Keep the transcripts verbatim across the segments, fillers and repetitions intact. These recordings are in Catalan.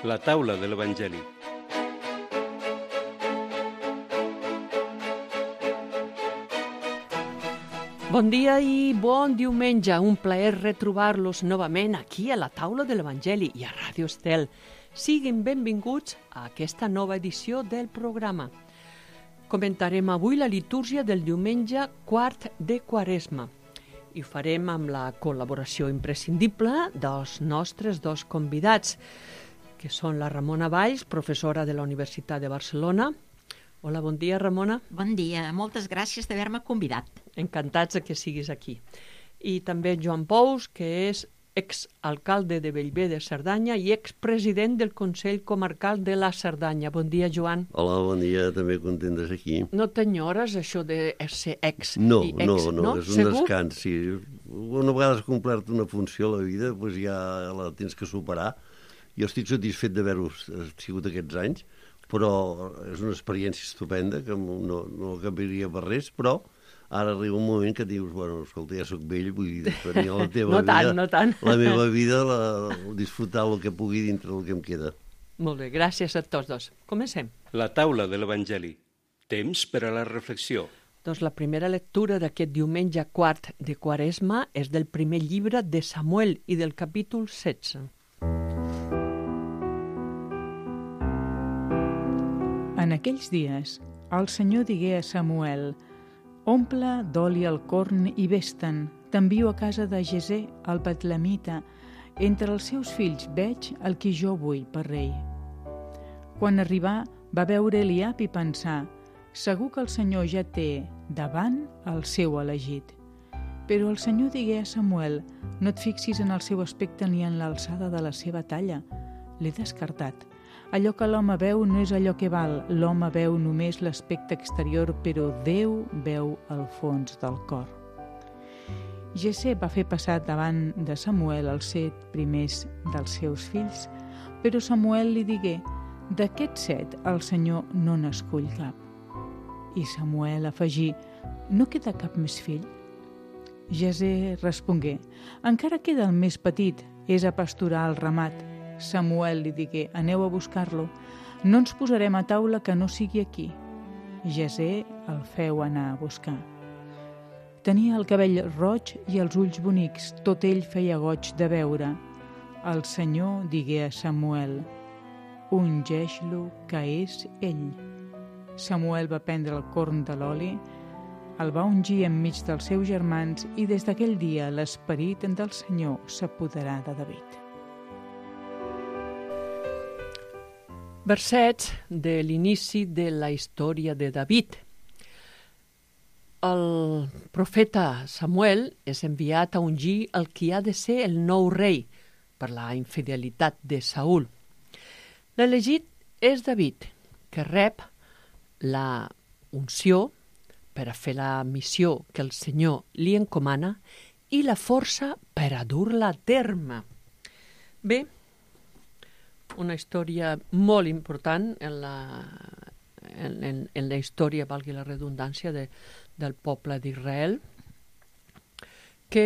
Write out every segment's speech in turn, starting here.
La taula de l'Evangeli. Bon dia i bon diumenge. Un plaer retrobar-los novament aquí a la taula de l'Evangeli i a Ràdio Estel. Siguin benvinguts a aquesta nova edició del programa. Comentarem avui la litúrgia del diumenge quart de Quaresma i ho farem amb la col·laboració imprescindible dels nostres dos convidats, que són la Ramona Valls, professora de la Universitat de Barcelona. Hola, bon dia, Ramona. Bon dia, moltes gràcies d'haver-me convidat. Encantats que siguis aquí. I també Joan Pous, que és exalcalde de Bellver de Cerdanya i expresident del Consell Comarcal de la Cerdanya. Bon dia, Joan. Hola, bon dia, també content de ser aquí. No t'enyores això de ser ex no, i ex, no? No, no, és un Segur? descans, sí. Una vegada has complert una funció a la vida, doncs ja la tens que superar. Jo estic satisfet d'haver-ho sigut aquests anys, però és una experiència estupenda, que no, no canviaria per res, però ara arriba un moment que dius, bueno, escolta, ja soc vell, vull dir, tenir la teva no vida, tant, no tant. la meva vida, la, disfrutar el que pugui dintre del que em queda. Molt bé, gràcies a tots dos. Comencem. La taula de l'Evangeli. Temps per a la reflexió. Doncs la primera lectura d'aquest diumenge quart de Quaresma és del primer llibre de Samuel i del capítol setze. En aquells dies, el Senyor digué a Samuel: «Omple d'oli el corn i vés-te'n, t'envio a casa de Jesé, el betlemita. Entre els seus fills veig el qui jo vull per rei». Quan arribà, va veure Eliab i pensar: «Segur que el Senyor ja té davant el seu elegit». Però el Senyor digué a Samuel: «No et fixis en el seu aspecte ni en l'alçada de la seva talla. L'he descartat. Allò que l'home veu no és allò que val. L'home veu només l'aspecte exterior, però Déu veu el fons del cor». Jesé va fer passar davant de Samuel els set primers dels seus fills, però Samuel li digué: «D'aquests set el Senyor no n'escull cap». I Samuel afegí: «No queda cap més fill?» Jesé respongué: «Encara queda el més petit, és a pasturar el ramat». Samuel li digué: «Aneu a buscar-lo. No ens posarem a taula que no sigui aquí». Jesé el feu anar a buscar. Tenia el cabell roig i els ulls bonics, tot ell feia goig de veure. El Senyor digué a Samuel: «Ungeix-lo, que és ell». Samuel va prendre el corn de l'oli, el va ungir enmig dels seus germans i des d'aquell dia l'esperit del Senyor s'apoderà de David. Versets de l'inici de la història de David. El profeta Samuel és enviat a ungir el qui ha de ser el nou rei per la infidelitat de Saül. L'elegit és David, que rep la unció per a fer la missió que el Senyor li encomana i la força per a dur-la a terme. Bé, una història molt important en la, en, en, en la història, valgui la redundància, de, del poble d'Israel. Què,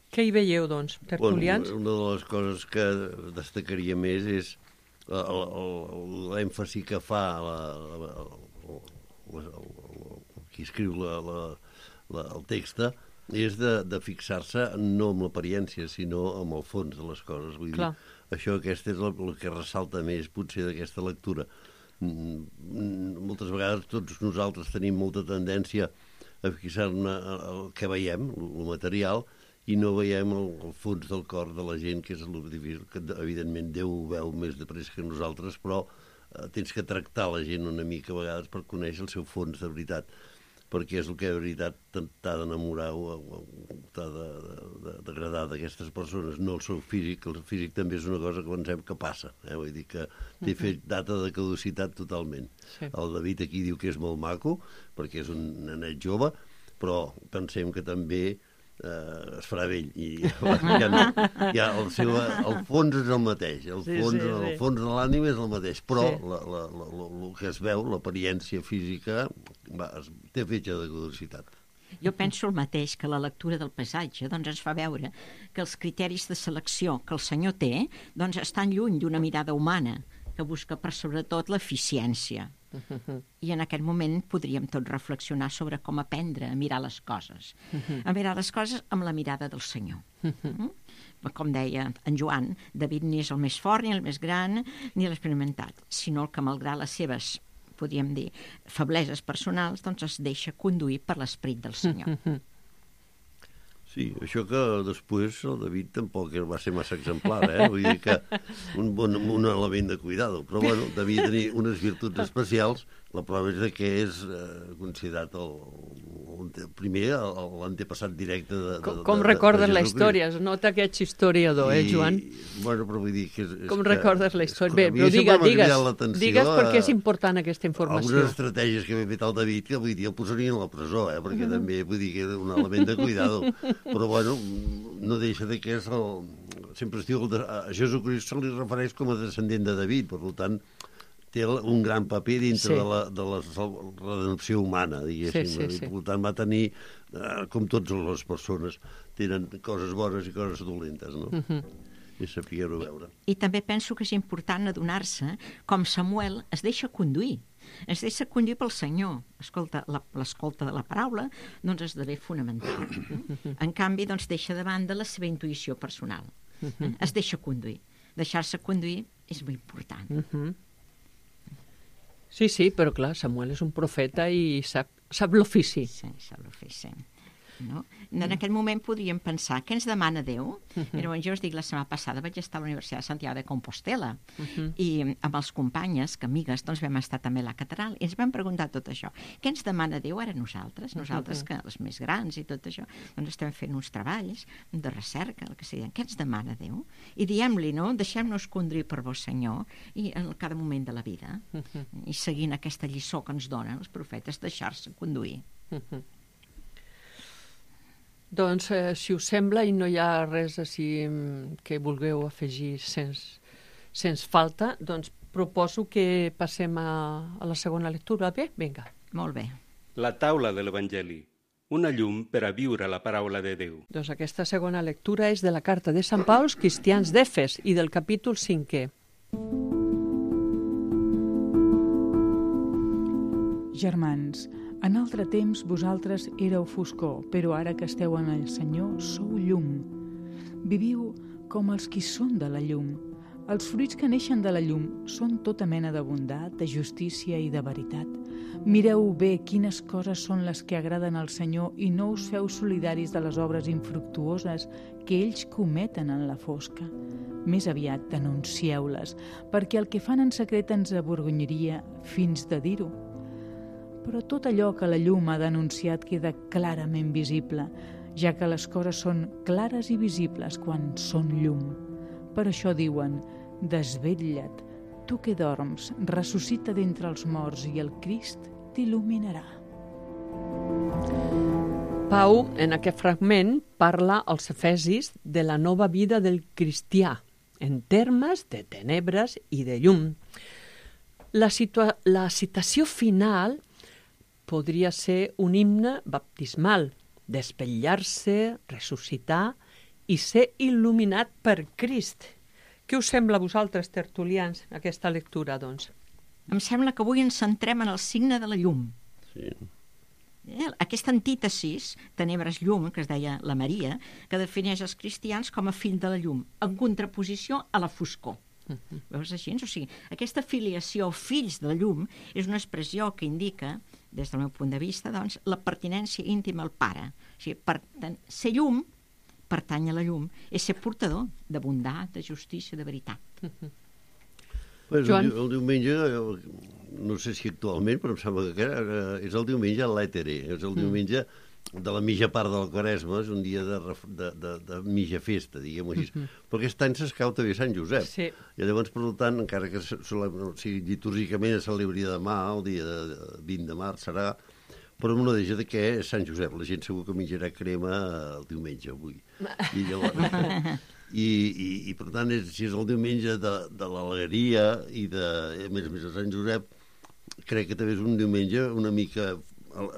què hi veieu, doncs, tertulians? Bueno, una de les coses que destacaria més és l'èmfasi que fa la, la, la, la, la, qui escriu la, la, la, el text, és de, de fixar-se no amb l'apariència, sinó amb el fons de les coses. Vull Clar. dir, això aquest és el, el que ressalta més, potser, d'aquesta lectura. Moltes vegades tots nosaltres tenim molta tendència a fixar-ne el que veiem, el material, i no veiem el, el fons del cor de la gent, que és el difícil, que evidentment Déu ho veu més de pressa que nosaltres, però eh, tens que tractar la gent una mica a vegades per conèixer el seu fons de veritat, perquè és el que de veritat t'ha d'enamorar o, o t'ha d'agradar d'aquestes persones, no el seu físic. El físic també és una cosa que pensem que passa, eh? Vull dir que té fet data de caducitat totalment. Sí. El David aquí diu que és molt maco, perquè és un nenet jove, però pensem que també eh, es farà vell i ja no, ja el, seu, el fons és el mateix, el sí, fons, sí, sí. el fons de l'ànima és el mateix, però Sí. la, la, la, la, el que es veu, l'apariència física, va, es, té fetge de caducitat. Jo penso el mateix, que la lectura del paisatge doncs, ens fa veure que els criteris de selecció que el senyor té doncs, estan lluny d'una mirada humana que busca per sobretot l'eficiència. I en aquest moment podríem tots reflexionar sobre com aprendre a mirar les coses. A mirar les coses amb la mirada del Senyor. Com deia en Joan, David ni és el més fort, ni el més gran, ni l'experimentat, sinó el que, malgrat les seves, podríem dir, febleses personals, doncs es deixa conduir per l'esperit del Senyor. Sí, això que després el David tampoc va ser massa exemplar, eh? Vull dir que un, bon, un element de cuidado, però bueno, devia tenir unes virtuts especials. La prova és que és eh, considerat el, el primer l'antepassat directe de, de, Com, com de, recordes de la història? Es nota que ets historiador, eh, Joan? I, bueno, però vull dir que... És, és com que, recordes la història? Bé, a mi però digue, sempre m'ha digues, cridat l'atenció digues perquè és a- important aquesta informació. Algunes estratègies que havia fet el David, que vull dir, el posarien a la presó, eh? Perquè també vull dir que era un element de cuidado. Però bueno, no deixa de que és el... Sempre es diu, el de... a Jesucrist se li refereix com a descendent de David, per tant, té un gran paper dintre Sí. de, la, de la redempció humana, diguéssim. Sí, sí, sí. I per tant va tenir, eh, com totes les persones, tenen coses bones i coses dolentes, no? I saber-ho veure. I també penso que és important adonar-se com Samuel es deixa conduir. Es deixa conduir pel Senyor. Escolta, la- l'escolta de la paraula doncs esdevé fonamental. En canvi, doncs deixa de banda la seva intuïció personal. Es deixa conduir. Deixar-se conduir és molt important. Sí, sí, però clar, Samuel és un profeta i sap, sap l'ofici. Sí, això ho féssim. No? En aquest moment podríem pensar què ens demana Déu. Llavors, jo us dic, la setmana passada vaig estar a la Universitat de Santiago de Compostela i amb els companyes, que amigues, doncs vam estar també a la catedral i ens vam preguntar tot això. Què ens demana Déu ara nosaltres? Nosaltres, que els més grans i tot això, doncs estem fent uns treballs de recerca, el que sigui. Què ens demana Déu? I diem-li, no? Deixem-nos conduir per vos, Senyor, i en cada moment de la vida. I seguint aquesta lliçó que ens donen els profetes, deixar-se conduir. Doncs, eh, si us sembla, i no hi ha res així mm, que vulgueu afegir sens, sens falta, doncs proposo que passem a, a la segona lectura. Bé? Vinga. Molt bé. La taula de l'Evangeli, una llum per a viure la paraula de Déu. Doncs aquesta segona lectura és de la carta de Sant Pau als cristians d'Efes i del capítol cinquè. Germans, en altre temps vosaltres éreu foscor, però ara que esteu en el Senyor sou llum. Viviu com els qui són de la llum. Els fruits que neixen de la llum són tota mena de bondat, de justícia i de veritat. Mireu bé quines coses són les que agraden al Senyor i no us feu solidaris de les obres infructuoses que ells cometen en la fosca. Més aviat denuncieu-les, perquè el que fan en secret ens avergonyaria fins de dir-ho. Però tot allò que la llum ha denunciat queda clarament visible, ja que les coses són clares i visibles quan són llum. Per això diuen, desvetlla't, tu que dorms, ressuscita d'entre els morts i el Crist t'il·luminarà. Pau, en aquest fragment, parla als efesis de la nova vida del cristià, en termes de tenebres i de llum. La, situa- la citació final podria ser un himne baptismal, desvetllar-se, ressuscitar i ser il·luminat per Crist. Què us sembla a vosaltres, tertulians, aquesta lectura, doncs? Em sembla que avui ens centrem en el signe de la llum. Sí. Eh? Aquesta antítesis, tenebres-llum, que es deia la Maria, que defineix els cristians com a fill de la llum, en contraposició a la foscor. Veus així? O sigui, aquesta filiació fills de la llum és una expressió que indica, des del meu punt de vista, doncs, la pertinència íntima al pare. O sigui, per tant, ser llum, pertany a la llum, és ser portador de bondat, de justícia, de veritat. Pues Joan? el, el diumenge, no sé si actualment, però em sembla que era, és el diumenge a l'Ètere, és el diumenge de la mitja part del Quaresma, és un dia de, ref- de, de, de mitja festa, diguem-ho així. Però aquest any s'escau també Sant Josep. Sí. I llavors, per tant, encara que se- sole- o sigui, litúrgicament es celebri demà, el dia de, de vint de març serà, però no deixa de que és Sant Josep. La gent segur que menjarà crema el diumenge avui. I llavors... I, i, i per tant, és, si és el diumenge de, de l'alegria i de, a més a més, de Sant Josep, crec que també és un diumenge una mica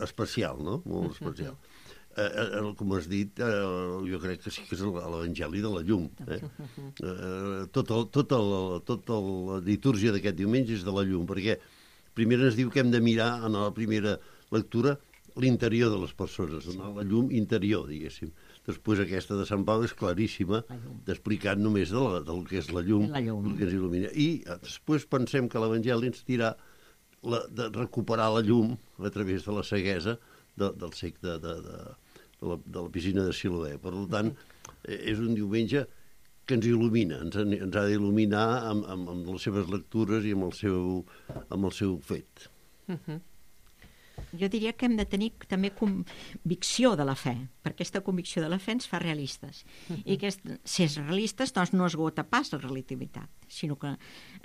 especial, no? Molt especial. eh, com has dit, eh, jo crec que sí que és l'Evangeli de la llum. Eh? Eh, tota tot el, tot el, la litúrgia d'aquest diumenge és de la llum, perquè primer ens diu que hem de mirar en la primera lectura l'interior de les persones, donar la llum interior, diguéssim. Després aquesta de Sant Pau és claríssima, d'explicar només de la, del que és la llum, la llum, el que ens il·lumina. I després pensem que l'Evangeli ens dirà la, de recuperar la llum a través de la ceguesa de, del cec de, de, de, de, la, de la piscina de Siloé. Per tant, és un diumenge que ens il·lumina, ens, ens ha d'il·luminar amb, amb, amb les seves lectures i amb el seu, amb el seu fet. Uh-huh. Jo diria que hem de tenir també convicció de la fe, perquè aquesta convicció de la fe ens fa realistes. Uh-huh. I que si és realistes, doncs no esgota pas la relativitat, sinó que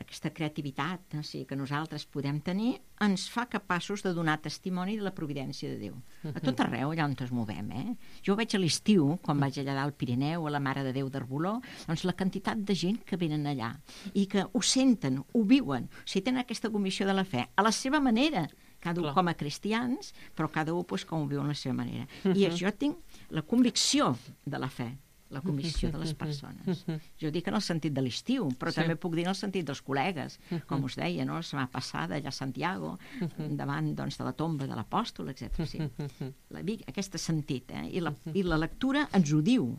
aquesta creativitat o sigui, que nosaltres podem tenir ens fa capaços de donar testimoni de la providència de Déu. Uh-huh. A tot arreu, allà on ens movem. Eh? Jo ho veig a l'estiu, quan vaig allà al Pirineu, a la Mare de Déu d'Arboló, doncs la quantitat de gent que venen allà i que ho senten, ho viuen, o sigui, tenen aquesta convicció de la fe, a la seva manera, cada un com a cristians, però cada un pues, com ho viu a la seva manera. Uh-huh. I jo tinc la convicció de la fe, la convicció de les persones. Uh-huh. Jo dic en el sentit de l'estiu, però sí. també puc dir en el sentit dels col·legues, uh-huh. com us deia, no? La setmana passada allà a Santiago, uh-huh. davant doncs, de la tomba de l'apòstol, etcètera. Sí. Uh-huh. La, aquest sentit, eh? I, la, i la lectura ens ho diu.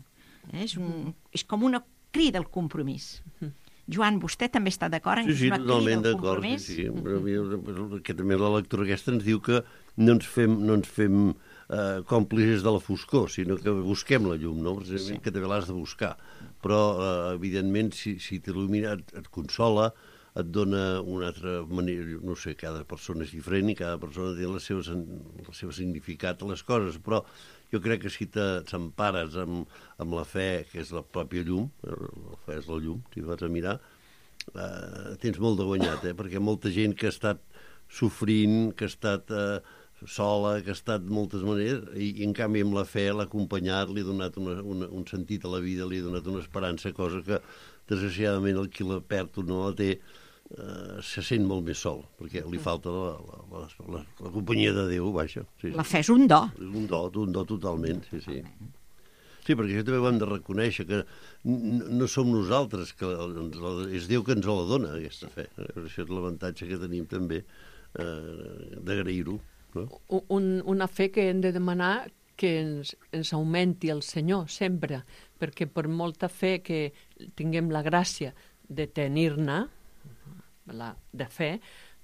Eh? És, un, és com una crida al compromís. Uh-huh. Joan, vostè també està d'acord? Sí, sí, totalment d'acord. Sí, sí. Però, que també la lectura aquesta ens diu que no ens fem, no ens fem eh, còmplices de la foscor, sinó que busquem la llum, no? Precisament sí. que també l'has de buscar. Però, eh, evidentment, si, si t'il·lumina, et, et consola, et dona una altra manera, no sé, cada persona és diferent i cada persona té el seu, el seu significat a les coses, però jo crec que si t'empares amb, amb la fe, que és la pròpia llum, la fe és la llum, si vas a mirar, eh, tens molt de guanyat, eh? Perquè molta gent que ha estat sofrint, que ha estat eh, sola, que ha estat de moltes maneres, i, i en canvi amb la fe l'ha acompanyat, li ha donat una, una, un sentit a la vida, li ha donat una esperança, cosa que desgraciadament el qui la perd o no la té, Uh, se sent molt més sol, perquè li falta la, la, la, la, la companyia de Déu, vaja. Sí, sí. La fe és un do. És un do, un do totalment, sí, sí. Sí, perquè això també ho hem de reconèixer, que no som nosaltres, que és Déu que ens la dona, aquesta fe. Això és l'avantatge que tenim també eh, d'agrair-ho. No? Un, una fe que hem de demanar que ens, ens augmenti el Senyor sempre, perquè per molta fe que tinguem la gràcia de tenir-ne, la, de fe,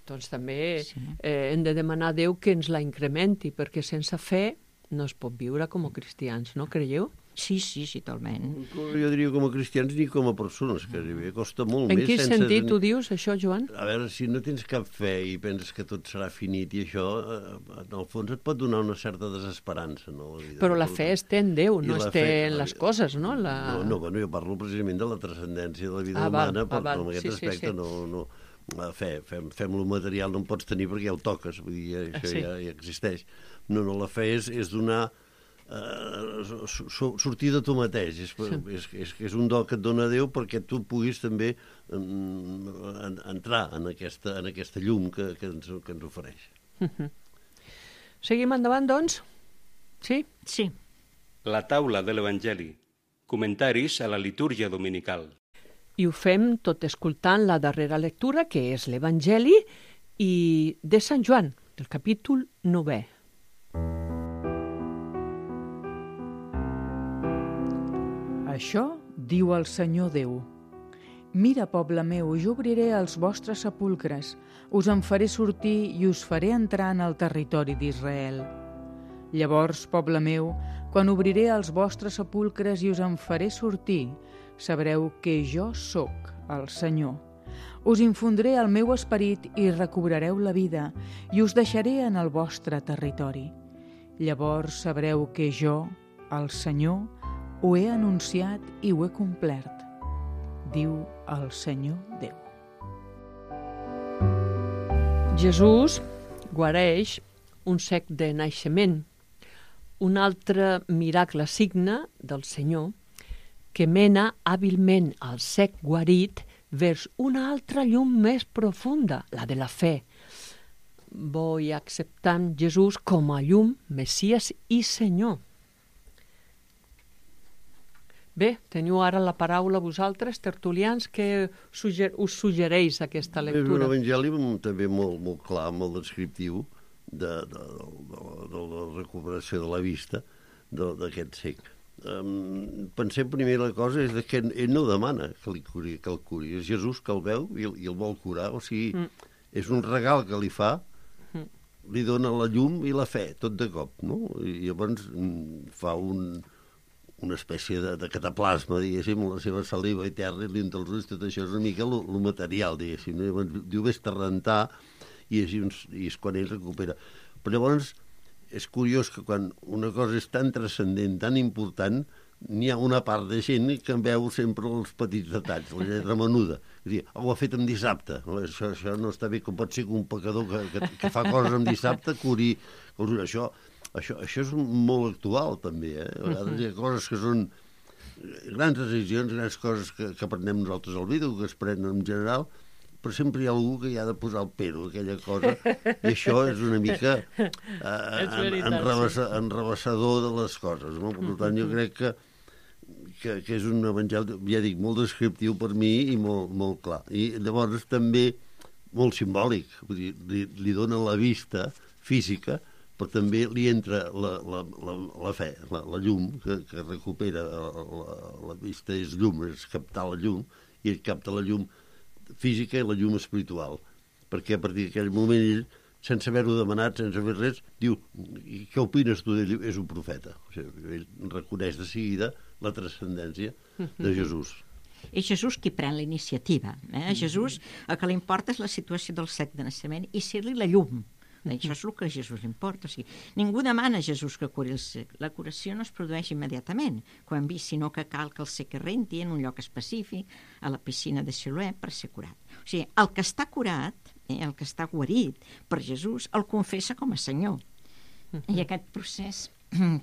doncs també sí. eh, hem de demanar a Déu que ens la incrementi, perquè sense fe no es pot viure com a cristians, no creieu? Sí, sí, sí, totalment. Jo diria com a cristians ni com a persones, que costa molt en més. En quin sentit tenir... ho dius, això, Joan? A veure, si no tens cap fe i penses que tot serà finit i això, en el fons et pot donar una certa desesperança, no? La vida. Però la fe es té en Déu, no es té en les coses, no? La... No, no, bueno, jo parlo precisament de la transcendència de la vida ah, humana, val, però ah, val. en aquest sí, aspecte sí, sí. no... no la fe, fem, fem lo material, no en pots tenir perquè ja ho toques, vull dir, això sí. ja, ja existeix. No, no, la fe és, és donar uh, sortir de tu mateix, és, sí. és, és, és un do que et dona Déu perquè tu puguis també um, entrar en aquesta, en aquesta llum que, que, ens, que ens ofereix. Uh-huh. Seguim endavant, doncs? Sí? Sí. La taula de l'Evangeli. Comentaris a la litúrgia dominical. I ho fem tot escoltant la darrera lectura, que és l'Evangeli i de Sant Joan, del capítol novè. Això diu el Senyor Déu. Mira, poble meu, jo obriré els vostres sepulcres, us en faré sortir i us faré entrar en el territori d'Israel. Llavors, poble meu, quan obriré els vostres sepulcres i us en faré sortir, sabreu que jo sóc el Senyor. Us infondré el meu esperit i recobrareu la vida i us deixaré en el vostre territori. Llavors sabreu que jo, el Senyor, ho he anunciat i ho he complert, diu el Senyor Déu. Jesús guareix un cec de naixement, un altre miracle signe del Senyor que mena hàbilment al cec guarit vers una altra llum més profunda, la de la fe. Voy acceptant Jesús com a llum, Messies i Senyor. Bé, teniu ara la paraula vosaltres, tertulians, que sugger us suggereix aquesta És un lectura? evangeli també molt, molt clar, molt descriptiu de, de, de, de la recuperació de la vista d'aquest cec. Um, pensem primer la cosa és que ell no demana que, li curi, que el curi, és Jesús que el veu i, i el vol curar, o sigui, mm. és un regal que li fa, mm. li dona la llum i la fe, tot de cop, no? I llavors mm, fa un, una espècie de, de cataplasma, diguéssim, la seva saliva eterna i l'int dels ulls, tot això és una mica el material, diguéssim, no? Llavors diu, vés-te a rentar, i és, i és quan ell recupera. Però llavors és curiós que quan una cosa és tan transcendent, tan important, n'hi ha una part de gent que en veu sempre els petits detalls, la lletra menuda. És dir, oh, ho ha fet en dissabte. No, això, això no està bé, com pot ser que un pecador que, que, que fa coses en dissabte curi... Això, això, això és molt actual, també. Eh? A vegades hi ha coses que són grans decisions, grans coses que, que aprenem nosaltres al vídeo, que es prenen en general, però sempre hi ha algú que hi ha de posar el pero, aquella cosa, i això és una mica eh, en, enrabassa, enrabassador de les coses. No? Per tant, jo crec que, que, que és un evangeli, ja dic, molt descriptiu per mi i molt, molt clar. I llavors també molt simbòlic, vull dir, li, li dona la vista física, però també li entra la, la, la, la fe, la, la llum, que, que recupera la, la, la vista, és llum, és captar la llum, i ell capta la llum física i la llum espiritual, perquè a partir d'aquell moment ell, sense haver-ho demanat, sense fer res, diu, i què opines tu d'ell? És un profeta. O sigui, ell reconeix de seguida la transcendència de Jesús. És Jesús qui pren la iniciativa. Eh? A Jesús el que li importa és la situació del cec de naixement i ser-li la llum. Això és el que a Jesús li importa. O sigui, ningú demana a Jesús que curi el cec. La curació no es produeix immediatament, com hem vist, sinó que cal que el cec es renti en un lloc específic, a la piscina de Siloé, per ser curat. O sigui, el que està curat, eh, el que està guarit per Jesús, el confessa com a Senyor. I aquest procés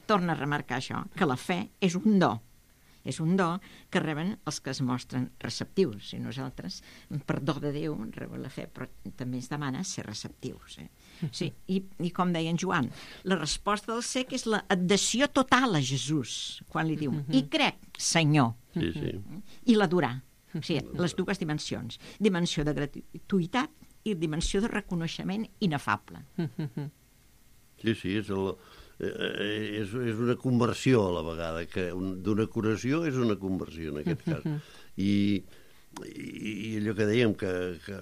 torna a remarcar això, que la fe és un do. És un do que reben els que es mostren receptius. I nosaltres, per do de Déu, rebem la fe, però també ens demana ser receptius. Eh? Sí, i, I com deia en Joan, la resposta del cec és l'adhesió total a Jesús, quan li diu, i crec, Senyor, sí, sí. i l'adorar. O sigui, les dues dimensions. Dimensió de gratuïtat i dimensió de reconeixement inefable. Sí, sí, és el... És, és una conversió a la vegada, que un, d'una curació és una conversió en aquest cas. I, i, i allò que dèiem, que, que,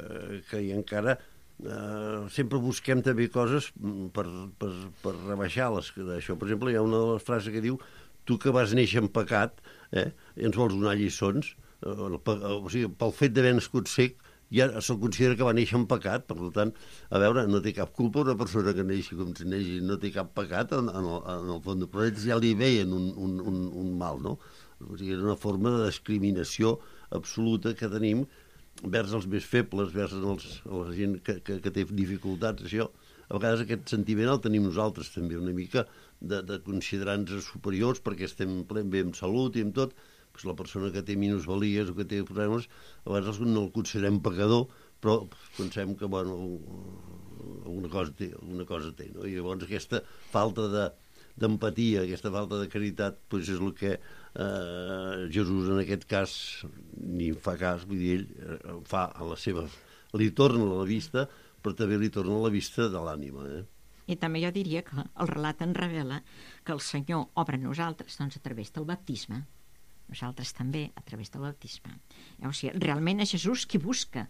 que hi encara eh, sempre busquem també coses per, per, per rebaixar les d'això. Per exemple, hi ha una de les frases que diu, tu que vas néixer en pecat, eh, ens vols donar lliçons, eh, el, o sigui, pel fet d'haver nascut cec, ja se'l considera que va néixer en pecat, per tant, a veure, no té cap culpa una persona que neixi com si neixi, no té cap pecat en, en, el, en el fons, però ells ja li veien un, un, un, un mal, no? O sigui, és una forma de discriminació absoluta que tenim vers els més febles, vers els, la gent que, que, que té dificultats, això. A vegades aquest sentiment el tenim nosaltres també, una mica de, de considerar-nos superiors perquè estem plen bé amb salut i amb tot. Pues la persona que té minusvalies o que té problemes, a vegades no el considerem pecador, però pensem que, bueno, alguna cosa té, alguna cosa té, no? I llavors aquesta falta de, d'empatia, aquesta falta de caritat, pues és el que eh, Jesús en aquest cas ni fa cas, vull dir, ell fa a la seva... li torna la vista, però també li torna la vista de l'ànima, eh? I també jo diria que el relat ens revela que el Senyor obre a nosaltres doncs, a través del baptisme. Nosaltres també a través del baptisme. O sigui, realment és Jesús qui busca.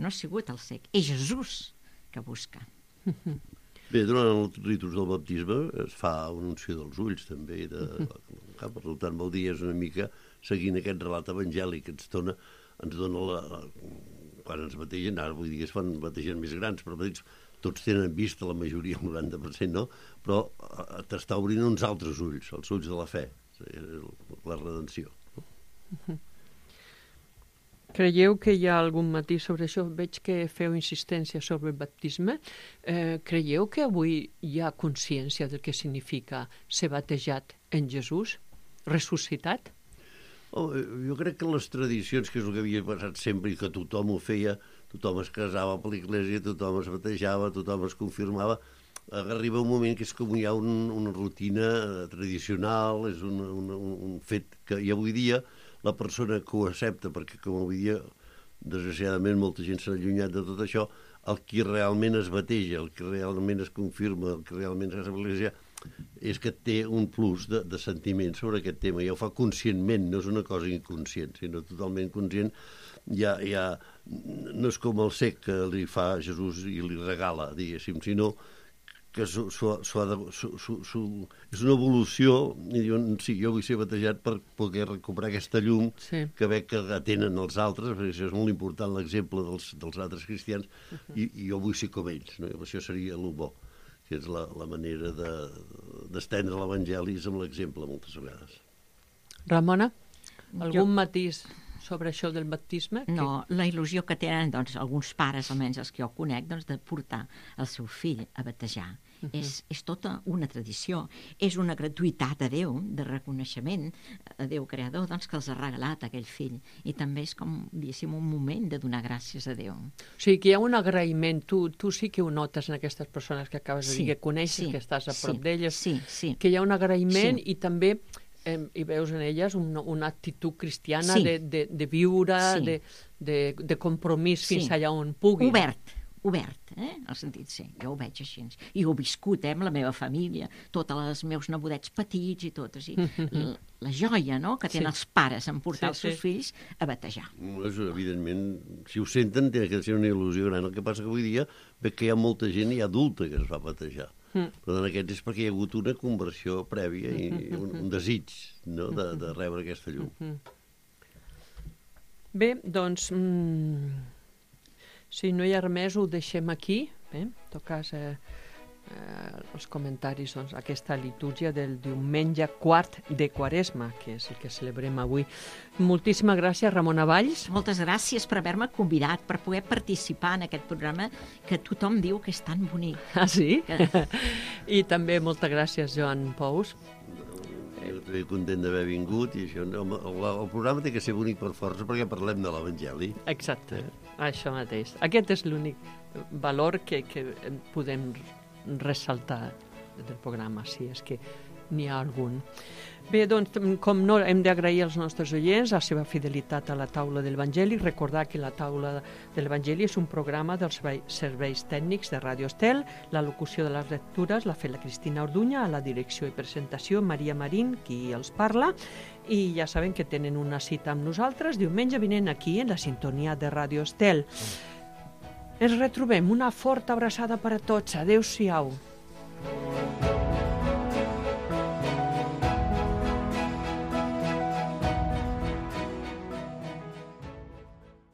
No ha sigut el cec, és Jesús que busca. Bé, durant els ritus del baptisme es fa una unció dels ulls, també. De... Per tant, vol dir, és una mica seguint aquest relat evangèlic que ens dona, ens dona la, la... quan ens bategen, ara vull dir que es fan bategen més grans, però petits, tots tenen vista, la majoria, el noranta per cent, no? Però t'està obrint uns altres ulls, els ulls de la fe, la redenció. Creieu que hi ha algun matís sobre això? Veig que feu insistència sobre el baptisme. Eh, creieu que avui hi ha consciència del que significa ser batejat en Jesús, ressuscitat? Oh, jo crec que les tradicions, que és el que havia passat sempre i que tothom ho feia, tothom es casava per l'església, tothom es batejava, tothom es confirmava, arriba un moment que és com hi ha un, una rutina tradicional, és un, un, un fet que i avui dia la persona que ho accepta, perquè com avui dia, desgraciadament, molta gent s'ha allunyat de tot això, el qui realment es bateja, el que realment es confirma, el que realment es l'església, és que té un plus de, de sentiment sobre aquest tema, i ho fa conscientment, no és una cosa inconscient, sinó totalment conscient. Ja, ja, no és com el cec que li fa Jesús i li regala, diguéssim, sinó que su, su, su, su, su, su, és una evolució, i diuen, sí, jo vull ser batejat per poder recuperar aquesta llum sí. que veig que tenen els altres, perquè això és molt important, l'exemple dels, dels altres cristians, uh -huh. i, i jo vull ser com ells, no? I això seria el bo, que és la, la manera d'estendre de, l'Evangeli amb l'exemple moltes vegades. Ramona, algun jo... matís sobre això del baptisme? No, que... la il·lusió que tenen doncs, alguns pares, almenys els que jo conec, doncs, de portar el seu fill a batejar. Uh -huh. és, és tota una tradició, és una gratuïtat a Déu, de reconeixement a Déu creador, doncs, que els ha regalat aquell fill, i també és com, diguéssim, un moment de donar gràcies a Déu. O sigui, que hi ha un agraïment, tu, tu sí que ho notes en aquestes persones que acabes de sí, dir, que coneixes, sí, que estàs a prop sí, d'elles, sí, sí. que hi ha un agraïment sí. i també eh, hi veus en elles una, una actitud cristiana sí. de, de, de viure, sí. de, de, de compromís sí. fins allà on pugui. Obert, obert, eh? El sentit sí, jo ho veig així. I ho he viscut, eh, amb la meva família, tots els meus nebodets petits i tot, o sigui, la, la joia, no?, que tenen sí. els pares en portar sí, els seus sí. fills a batejar. Pues, evidentment, si ho senten, té que ser una il·lusió gran. El que passa que avui dia veig que hi ha molta gent i adulta que es va batejar. Mm. Però en aquests és perquè hi ha hagut una conversió prèvia i un, un desig, no?, de, de rebre aquesta llum. Bé, doncs... Mm... Si no hi ha res més, ho deixem aquí. Bé, en tot cas, eh, eh, els comentaris, doncs, aquesta litúrgia del diumenge quart de Quaresma, que és el que celebrem avui. Moltíssimes gràcies, Ramona Valls. Moltes gràcies per haver-me convidat, per poder participar en aquest programa que tothom diu que és tan bonic. Ah, sí? Que... I també moltes gràcies, Joan Pous. Jo estic content d'haver vingut i això, el, el programa té que ser bonic per força perquè parlem de l'Evangeli. Exacte, eh? Això mateix. Aquest és l'únic valor que, que podem ressaltar del programa, si és que n'hi ha algun. Bé, doncs, com no, hem d'agrair als nostres oients la seva fidelitat a la taula de l'Evangeli. Recordar que la taula de l'Evangeli és un programa dels serveis tècnics de Ràdio Estel. La locució de les lectures l'ha fet la Cristina Orduña, a la direcció i presentació Maria Marín, qui els parla. I ja saben que tenen una cita amb nosaltres diumenge vinent aquí en la sintonia de Ràdio Estel. Ens retrobem. Una forta abraçada per a tots. Adéu-siau.